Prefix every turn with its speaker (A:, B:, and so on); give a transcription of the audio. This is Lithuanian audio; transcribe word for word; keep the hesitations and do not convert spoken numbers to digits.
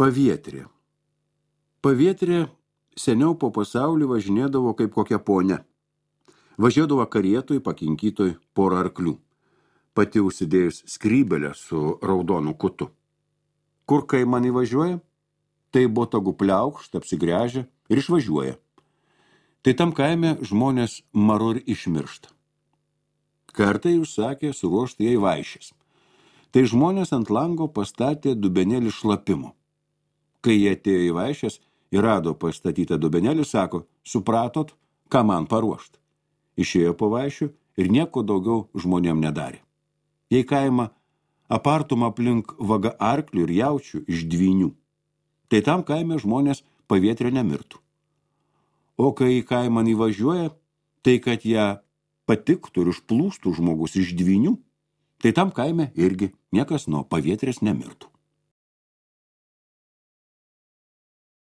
A: Pavietrė. Pavietrė seniau po pasaulį važinėdavo kaip kokia ponia. Važiuodavo karietoj, pakinkytoj porą arklių, pati užsidėjus skrybelę su raudonu kutu. Kur kai man įvažiuoja, tai botagų pliaukšt, apsigręžia ir išvažiuoja. Tai tam kaime žmonės maru ir išmiršta. Kartai užsakė suruošti jai vaišės. Tai žmonės ant lango pastatė dubenėlį šlapimo. Kai jie atėjo į vaišės ir rado pastatytą dubenėlį, sako, supratot, ką man paruošt. Išėjo po vaišių ir nieko daugiau žmonėm nedarė. Jei kaimą apartum aplink vaga arklių ir jaučių iš dvynių, tai tam kaime žmonės pavietrė nemirtų. O kai į kaimą įvažiuoja, tai kad ją patiktų ir užplūstų žmogus iš dvynių, tai tam kaime irgi niekas nuo pavietrės nemirtų.